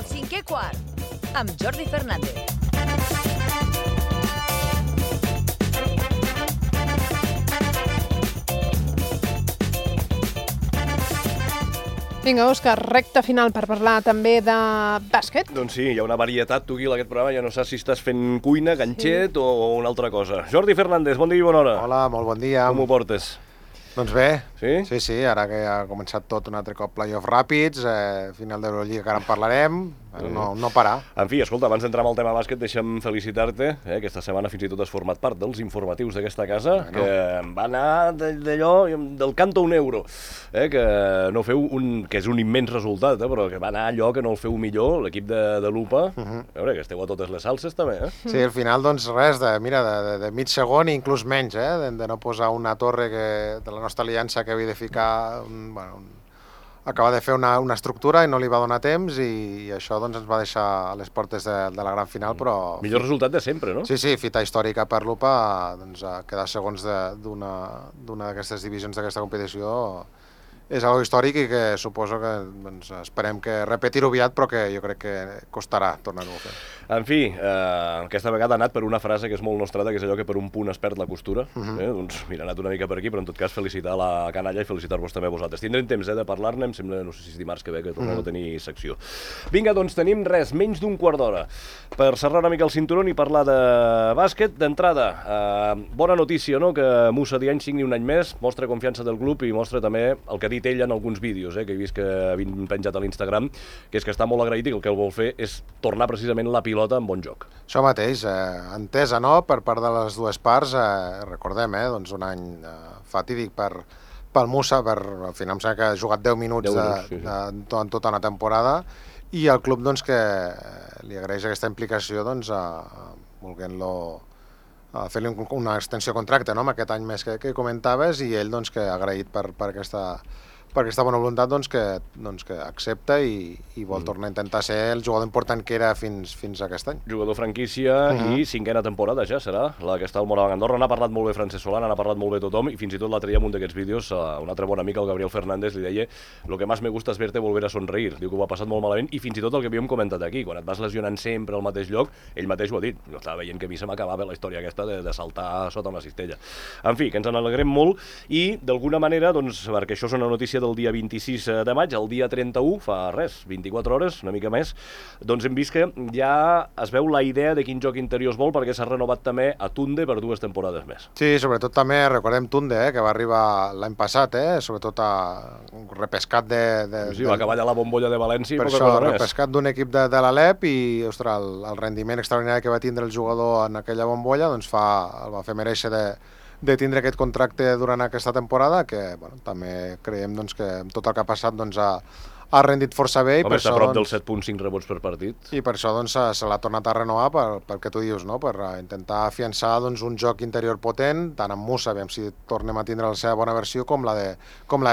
El cinquè quart, amb Jordi Fernández. Vinga, Òscar, recta final per parlar també de bàsquet. Doncs sí, hi ha una varietat, tu, Guil, aquest programa. Ja no saps si estàs fent cuina, ganxet o una altra cosa. Jordi Fernández, bon dia i bona hora. Hola, molt bon dia. Com ho portes? Doncs bé, sí? Sí, ara que ha començat tot un altre cop playoff ràpids, final d'Eurolliga que ara en parlarem, no parar. En fi, escolta, abans d'entrar en el tema bàsquet, deixa'm felicitar-te. Aquesta setmana fins i tot has format part dels informatius d'aquesta casa, que va anar d'allò, del canto a un euro, que no feu que és un immens resultat, però que va anar allò que no el feu millor, l'equip de l'UPA. A veure, que esteu a totes les salses, també, Sí, al final, doncs res, de mig segon i inclús menys, de no posar una torre de la nostra aliança que havia de ficar, acaba de fer una estructura i no li va donar temps i això doncs ens va deixar a les portes de la gran final, però... Millor resultat de sempre, no? Sí, fita històrica per l'UPA, doncs quedar segons d'una d'aquestes divisions d'aquesta competició és algo històric i que suposo que esperem que repetir-ho aviat, però que jo crec que costarà tornar-ho a fer. En fi, aquesta vegada ha anat per una frase que és molt nostrada, que és allò que per un punt es perd la costura. Doncs mira, ha anat una mica per aquí, però en tot cas felicitar la canalla i felicitar-vos també a vosaltres. Tindrem temps de parlar-ne, em sembla, no sé si és dimarts que ve, que tornem a tenir secció. Vinga, doncs tenim menys d'un quart d'hora per serrar una mica el cinturó i parlar de bàsquet. D'entrada, bona notícia, no?, que Moussa Diagne signi un any més, mostra confiança del club i mostra també el que ha dit ell en alguns vídeos, que he vist que havien penjat a l'Instagram, que és que està molt agraït i que el que el vol fer és tornar precisament la pilota en bon joc. Això mateix, entesa, no?, per part de les dues parts, recordem, doncs un any fatídic pel Moussa, al final em sembla que ha jugat 10 minuts en tota una temporada, i el club doncs que li agraeix aquesta implicació volent-lo fer-li una extensió de contracte, amb aquest any més que comentaves, i ell doncs que ha agraït per aquesta bona voluntat que accepta i vol tornar a intentar ser el jugador important que era fins a aquest any. Jugador franquícia i cinquena temporada ja serà la que està al Morabanc Andorra. N'ha parlat molt bé Francesc Solana, n'ha parlat molt bé tothom, i fins i tot l'altre dia en un d'aquests vídeos un altre bon amic, el Gabriel Fernández, li deia: lo que más me gusta es verte volver a sonreír. Diu que ho ha passat molt malament, i fins i tot el que havíem comentat aquí, quan et vas lesionant sempre al mateix lloc, ell mateix ho ha dit. Jo estava veient que a mi se m'acabava la història aquesta de saltar sota una cistella. En fi, que ens en alegrem molt, i d'alguna manera, doncs, perquè això és una notícia del dia 26 de maig, el dia 31, fa 24 hores, una mica més, doncs hem vist que ja es veu la idea de quin joc interior es vol, perquè s'ha renovat també a Tunde per 2 temporades més. Sí, sobretot també recordem Tunde, que va arribar l'any passat, sobretot a un repescat Sí, va acabar allà la bombolla de València i per poca això, cosa més. repescat d'un equip de l'Alep, i ostres, el rendiment extraordinari que va tindre el jugador en aquella bombolla doncs el va fer mereixer de tindre aquest contracte durant aquesta temporada, que també creiem que amb tot el que ha passat ha rendit força bé. Home, està a prop dels 7.5 rebots per partit. I per això se l'ha tornat a renovar pel que tu dius, no?, per intentar afiançar un joc interior potent, tant amb Moussa, aviam si tornem a tindre la seva bona versió, com la de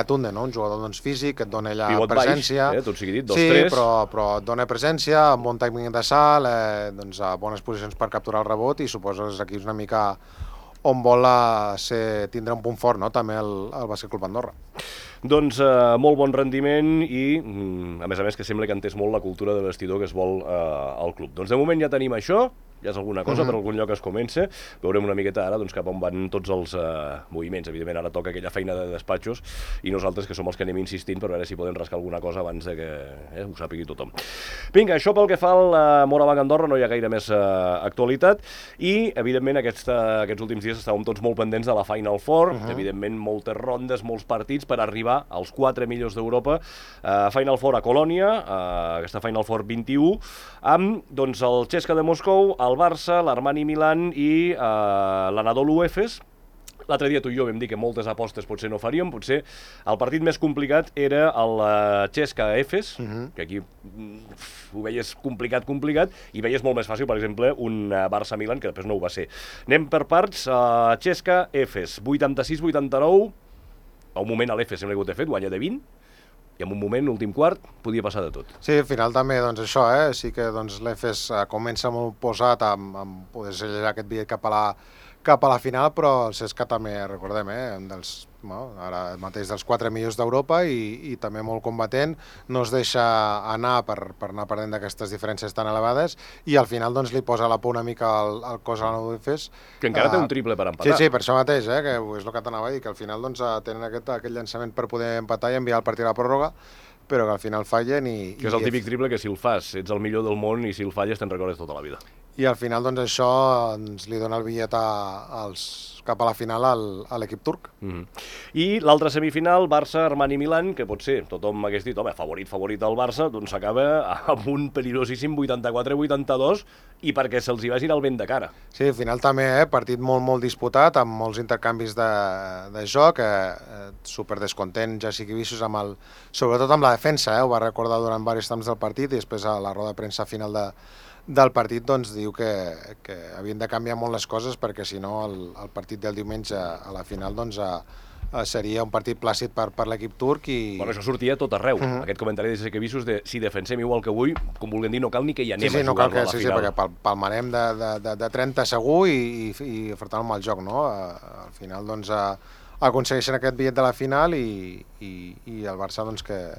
Tunde, no?, un jugador físic, que et dona allà pivot presència. Baix, tot sigui dit, 2-3. Sí, però et dona presència, amb bon timing de salt, a bones posicions per capturar el rebot, i suposo que aquí és una mica on vol tindre un punt fort, no?, també el Bàsquet Club Andorra. Doncs molt bon rendiment i, a més, que sembla que entès molt la cultura de vestidor que es vol al club. Doncs de moment ja tenim això, ja és alguna cosa, per algun lloc es comença. Veurem una miqueta ara cap on van tots els moviments. Evidentment, ara toca aquella feina de despatxos i nosaltres, que som els que anem insistint per veure si podem rascar alguna cosa abans de que ho sàpigui tothom. Vinga, això pel que fa al Morabanc Andorra, no hi ha gaire més actualitat, i, evidentment, aquests últims dies estàvem tots molt pendents de la Final Four, evidentment, moltes rondes, molts partits per arribar als 4 millors d'Europa. Final Four a Colònia, aquesta Final Four 21, amb el CSKA de Moscou, el Barça, l'Armani Milan i l'Anadolu Efes. L'altre dia tu i jo vam dir que moltes apostes potser no faríem, potser el partit més complicat era el CSKA Efes, que aquí ho veies complicat, i veies molt més fàcil, per exemple, un Barça-Milan, que després no ho va ser. Anem per parts. CSKA Efes, 86-89, a un moment l'Efes sembla que ho té fet, guanya de 20, i en un moment, últim quart, podia passar de tot. Sí, al final també, això, sí que l'Efes comença molt posat amb poder sellar aquest bitllet cap a la final, però el CSKA també, recordem, un dels ara mateix dels 4 millors d'Europa i també molt combatent, no es deixa anar per anar perdent d'aquestes diferències tan elevades i al final doncs li posa la por una mica al cos a la Nudefes. Que encara té un triple per empatar. Sí, per això mateix, que és el que t'anava a dir, que al final doncs, tenen aquest llançament per poder empatar i enviar el partit a la pròrroga, però que al final fallen i... Que és el típic triple que si el fas ets el millor del món i si el falles te'n recordes tota la vida. I al final doncs això ens li dona el bitllet cap a la final a l'equip turc. I l'altra semifinal, Barça-Armani-Milan, que potser tothom hagués dit, home, favorit del Barça, doncs s'acaba amb un perillosíssim 84-82 i perquè se'ls hi vagin el vent de cara. Sí, al final també, partit molt disputat, amb molts intercanvis de joc, super descontent Jessica Vissos, sobretot amb la defensa, ho va recordar durant diversos temps del partit i després a la roda de premsa final del partit doncs diu que havien de canviar molt les coses perquè si no el partit del diumenge a la final doncs seria un partit plàcid per l'equip turc i... Bueno, això sortia tot arreu, aquest comentari de Jessica Vissos de si defensem igual que avui, com vulguem dir, no cal ni que hi anem a jugar-lo a la final. Sí, perquè palmarem de 30 segur i afrontant un mal joc, no? Al final doncs aconsegueixen aquest bitllet de la final i el Barça doncs que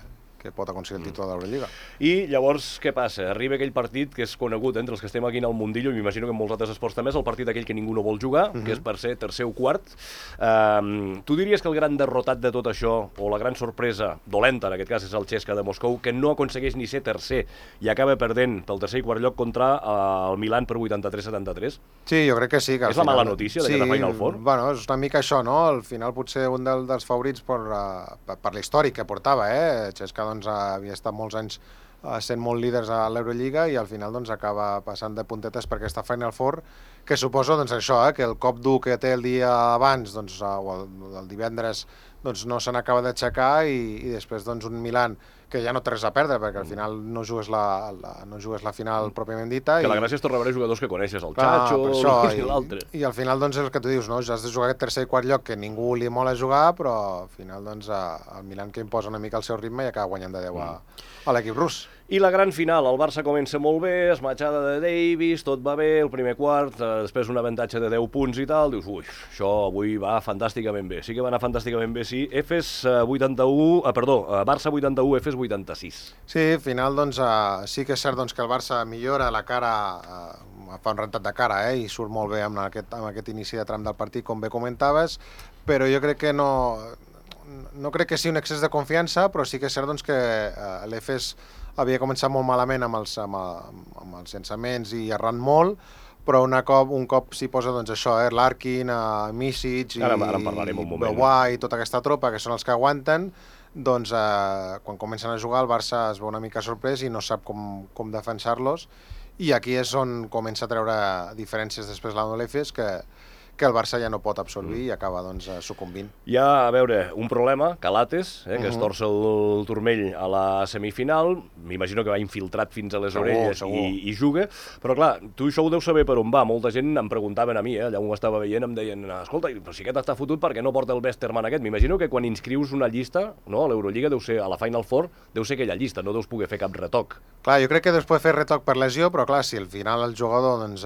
pot aconseguir el títol de l'Eurolliga. I llavors, què passa? Arriba aquell partit que és conegut entre els que estem aquí en el mundillo, i m'imagino que en molts altres esports també, és el partit aquell que ningú no vol jugar, que és per ser tercer o quart. Tu diries que el gran derrotat de tot això, o la gran sorpresa, dolenta en aquest cas, és el CSKA de Moscou, que no aconsegueix ni ser tercer i acaba perdent pel tercer i quart lloc contra el Milan per 83-73? Sí, jo crec que sí. És la mala notícia d'aquesta Final Four? Bueno, és una mica això, no? Al final potser un dels favorits per l'històric que portava, CSKA doncs, havia estat molts anys sent molt líders a l'Eurolliga i al final doncs, acaba passant de puntetes per aquesta Final Four, que suposo doncs, això, que el cop dur que té el dia abans doncs, o el divendres doncs, no se n'acaba d'aixecar i després doncs, un Milan que ja no té res a perdre perquè al final no jugues la final pròpiament dita. Que la gràcia és tornar a veure jugadors que coneixes, el Chacho i l'altre. I al final doncs, és el que tu dius, no? Ja has de jugar aquest tercer i quart lloc que ningú li mola jugar, però al final doncs, el Milan que imposa una mica el seu ritme i acaba guanyant de 10 a l'equip rus. I la gran final, el Barça comença molt bé, esmatxada de Davis, tot va bé, el primer quart, després un avantatge de 10 punts i tal, dius, ui, això avui va fantàsticament bé. Sí que va anar fantàsticament bé, sí. Barça 81, Efes 86. Sí, al final, doncs, sí que és cert doncs, que el Barça millora la cara, fa un rentat de cara, i surt molt bé amb aquest inici de tram del partit, com bé comentaves, però jo crec que no crec que sigui un excés de confiança, però sí que és cert doncs, que l'Efes havia començat molt malament amb els llançaments i errant molt, però un cop s'hi posa doncs, això, Larkin, Misic i Bewai i tota aquesta tropa que són els que aguanten, doncs quan comencen a jugar el Barça es veu una mica sorprès i no sap com defensar-los i aquí és on comença a treure diferències després la l'Efes que el Barça ja no pot absorbir i acaba doncs, sucumbint. Hi ha, a veure, un problema, Calates, que es torça el turmell a la semifinal, m'imagino que va infiltrat fins a les orelles i juga, però clar, tu això ho deus saber per on va, molta gent em preguntaven a mi, allà on ho estava veient, em deien, escolta, però si aquest està fotut, per què no porta el Westerman aquest? M'imagino que quan inscrius una llista, no, a l'Eurolliga deu ser, a la Final Four, deu ser aquella llista, no deus poder fer cap retoc. Clar, jo crec que deus poder fer retoc per lesió, però clar, si al final el jugador doncs,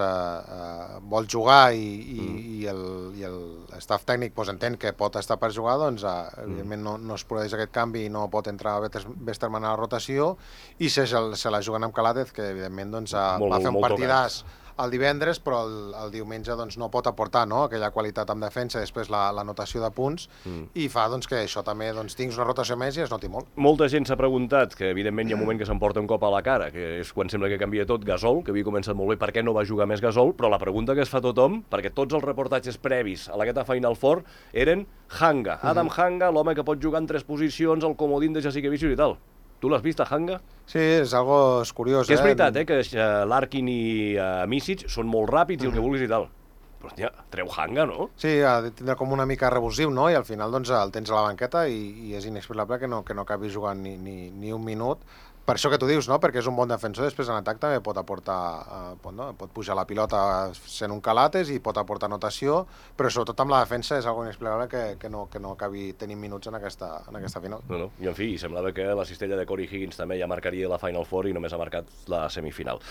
vol jugar i l'estaf tècnic doncs, entén que pot estar per jugar, doncs evidentment no es produeix aquest canvi i no pot entrar Westerman a la rotació i se la juguen amb Calates, que evidentment doncs, va fer un partidàs el divendres, però el diumenge doncs, no pot aportar aquella qualitat en defensa, després la notació de punts, i fa doncs, que això també tinguis una rotació més i es noti molt. Molta gent s'ha preguntat, que evidentment hi ha un moment que s'emporta un cop a la cara, que és quan sembla que canvia tot, Gasol, que havia començat molt bé, per què no va jugar més Gasol, però la pregunta que es fa tothom, perquè tots els reportatges previs a aquesta Final Four eren Hanga, Adam Hanga, l'home que pot jugar en 3 posicions, el comodín de Jessica Vissos i tal. Tu l'has vist, a Hanga? Sí, és algo curiós. Que és veritat, que Larkin i Misic són molt ràpids i el que vulguis i tal. Però, hòstia, treu Hanga, no? Sí, ha de tindre com una mica revulsiu, no? I al final doncs, el tens a la banqueta i és inexplicable que no acabi jugant ni un minut. Per això que tu dius, no? Perquè és un bon defensor, després en atac també pot aportar, pot pujar la pilota sent un Calates i pot aportar notació, però sobretot amb la defensa és algo inexplicable que no acabi tenint minuts en aquesta final. No. I en fi, semblava que la cistella de Corey Higgins també ja marcaria la Final Four i només ha marcat la semifinal.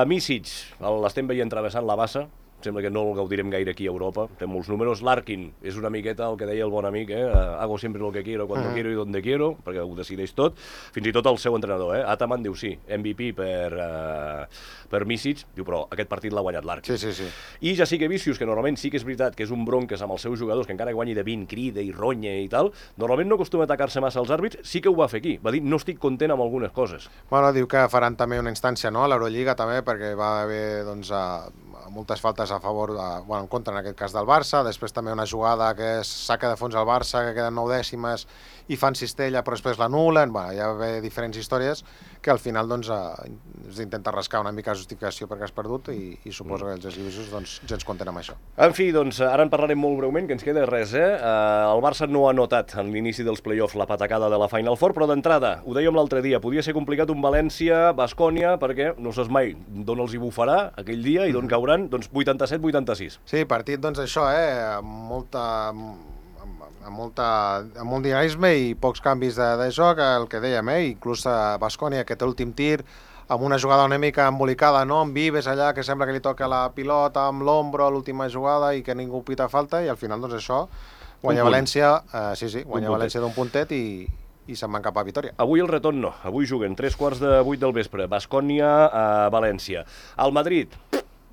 Misic, l'estem veient travessant la bassa, sembla que no el gaudirem gaire aquí a Europa, té molts números. Larkin és una miqueta el que deia el bon amic, hago siempre lo que quiero, cuando quiero y donde quiero, perquè ho decideix tot, fins i tot el seu entrenador, Ataman diu sí, MVP per Misic, diu però aquest partit l'ha guanyat Larkin. Sí. I Jasikevičius, que normalment sí que és veritat que és un bronques amb els seus jugadors, que encara guanyi de 20, crida i ronya i tal, normalment no acostuma a atacar-se massa als àrbits, sí que ho va fer aquí, va dir no estic content amb algunes coses. Bueno, diu que faran també una instància, no?, a l'Eurolliga també, perquè va haver, doncs, moltes faltes a favor, en contra en aquest cas del Barça, després també una jugada que és saca de fons al Barça, que queden 9 dècimes i fan cistella però després l'anulen, hi ha d'haver diferents històries que al final doncs intenta rascar una mica de justificació perquè has perdut i suposo que els eslivissos doncs gens compten amb això. En fi, doncs ara en parlarem molt breument, que ens queda res, el Barça no ha notat en l'inici dels play-offs la patacada de la Final Four, però d'entrada, ho dèiem l'altre dia, podia ser complicat un València-Baskonia perquè no saps mai d'on els hi bufarà aquell dia i d'on cauran, doncs 87-86. Sí, partit doncs això, amb molt dinamisme i pocs canvis de joc, el que dèiem, inclús a Baskonia, que té l'últim tir, amb una jugada una mica embolicada, no? Amb Vives allà, que sembla que li toca la pilota amb l'ombro a l'última jugada i que ningú pita falta, i al final doncs això, guanya València, guanya València d'un puntet i se'n van cap a Vitòria. Avui el retorn no, avui juguen 3:15 del vespre, Baskonia a València. El Madrid,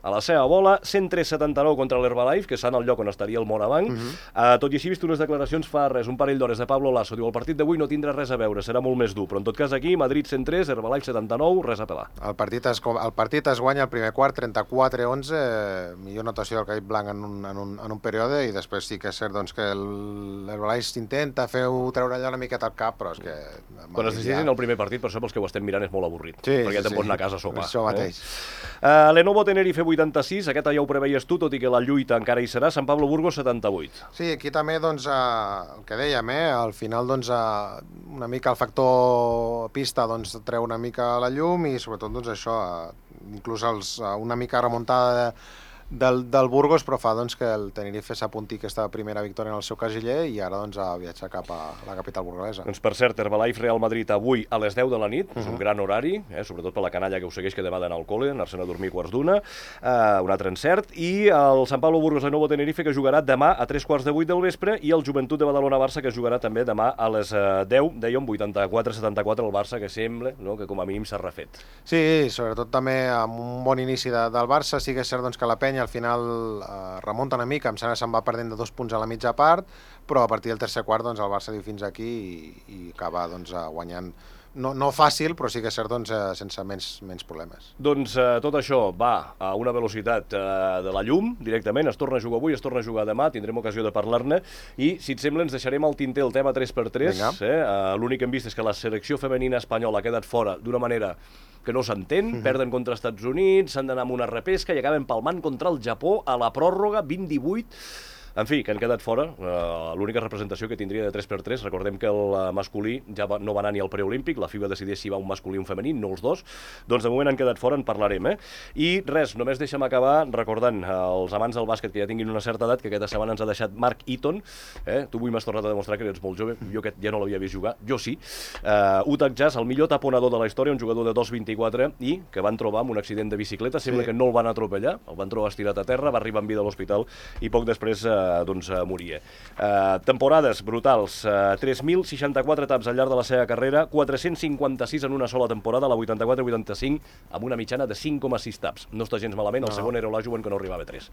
a la seva bola, 103-79 contra l'Herbalife, que està en el lloc on estaria el Morabanc. Tot i així, vist unes declaracions fa res, un parell d'hores de Pablo Lasso, diu el partit d'avui no tindrà res a veure, serà molt més dur, però en tot cas aquí, Madrid 103, Herbalife 79, res a pelar. El partit es guanya el primer quart, 34-11, millor notació del Caip Blanc en un període, i després sí que és cert doncs, que l'Herbalife intenta treure allò una miqueta al cap, però és que... Quan es decideixen el primer partit, per això pels que ho estem mirant és molt avorrit, perquè te'n pots anar a casa a sopar. Això mateix. Lenovo Tenerife 86, aquesta ja ho preveies tu, tot i que la lluita encara hi serà, Sant Pablo Burgos 78. Sí, aquí també, doncs, el que dèiem, al final, doncs, una mica el factor pista doncs, treu una mica la llum i, sobretot, doncs, això, inclús una mica remuntada del Burgos, però fa doncs, que el Tenerife s'apunti aquesta primera victòria en el seu casiller i ara doncs, ha viatjat cap a la capital burgalesa. Doncs per cert, Herbalife Real Madrid avui a les 10 de la nit, és un gran horari, sobretot per la canalla que ho segueix, que demà d'anar al col·le, anar-se'n a dormir quarts d'una, un altre encert, i el Sant Pablo Burgos Lenovo Tenerife que jugarà demà a 3:15 del vespre i el Joventut de Badalona-Barça que jugarà també demà a les 10, dèiem 84-74 el Barça, que sembla que com a mínim s'ha refet. Sí, sobretot també amb un bon inici del Barça, sí que és cert doncs, que la penya al final remunta una mica, em sembla que se'n va perdent de 2 punts a la mitja part, però a partir del tercer quart doncs, el Barça diu fins aquí i acaba doncs, guanyant, no fàcil, però sí que és cert doncs, sense menys problemes. Doncs tot això va a una velocitat de la llum directament, es torna a jugar avui, es torna a jugar demà, tindrem ocasió de parlar-ne i si et sembla ens deixarem al tinter el tema 3x3, l'únic que hem vist és que la selecció femenina espanyola ha quedat fora d'una manera que no s'entén, perden contra els Estats Units, s'han d'anar amb una repesca i acaben palmant contra el Japó a la pròrroga 20-18. En fi, que han quedat fora. L'única representació que tindria de 3x3, recordem que el masculí ja no va anar ni al preolímpic, la FIBA decideix si va un masculí o un femení, no els dos, doncs de moment han quedat fora, en parlarem. I res, només deixa'm acabar recordant als amants del bàsquet que ja tinguin una certa edat, que aquesta setmana ens ha deixat Mark Eaton, tu avui m'has tornat a demostrar que ets molt jove, jo aquest ja no l'havia vist jugar, jo sí, Utah Jazz, el millor taponador de la història, un jugador de 2,24 i que van trobar amb un accident de bicicleta, sembla que no el van atropellar, el van trobar estirat a terra, va arribar en vida a l'hospital i poc després moria. Temporades brutals, 3.064 taps al llarg de la seva carrera, 456 en una sola temporada, la 84-85, amb una mitjana de 5,6 taps. No està gens malament, el segon era Olajuwon, que no arribava a 3.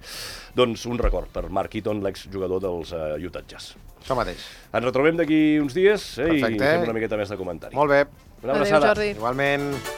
Doncs un record per Mark Eaton, l'exjugador dels Utah Jazz. Això mateix. Ens retrobem d'aquí uns dies i fem una miqueta més de comentari. Molt bé. Una abraçada. Adéu, Jordi. Igualment.